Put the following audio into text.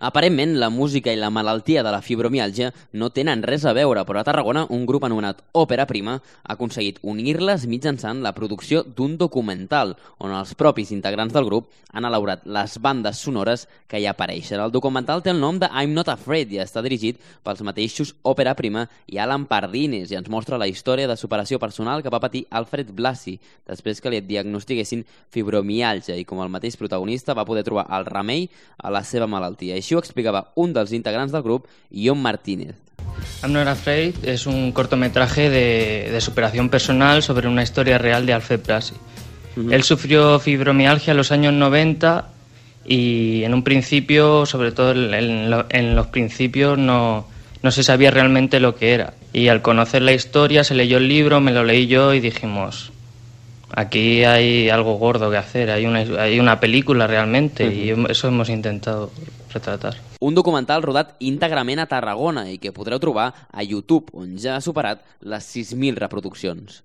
Aparentment, la música i la malaltia de la fibromiàlgia no tenen res a veure, però a Tarragona un grup anomenat Òpera Prima ha aconseguit unir-les mitjançant la producció d'un documental, on els propis integrants del grup han elaborat les bandes sonores que hi apareixen. El documental té el nom de I'm Not Afraid i està dirigit pels mateixos Òpera Prima i Alan Pardines i ens mostra la història de superació personal que va patir Alfred Blasi després que li diagnostiquessin fibromiàlgia i com el mateix protagonista va poder trobar el remei a la seva malaltia. Així ho explicava un dels integrants del grup, Ion Martínez. I'm Not Afraid es un cortometraje de superación personal sobre una historia real de Alfred Blasi. Él sufrió fibromialgia en los años 90 y en un principio, sobre todo en los principios, no se sabía realmente lo que era. Y al conocer la historia, se leyó el libro, me lo leí yo y dijimos, aquí hay algo gordo que hacer, hay una película realmente y eso hemos intentado retratar. Un documental rodat íntegrament a Tarragona i que podreu trobar a YouTube, on ja ha superat les 6.000 reproduccions.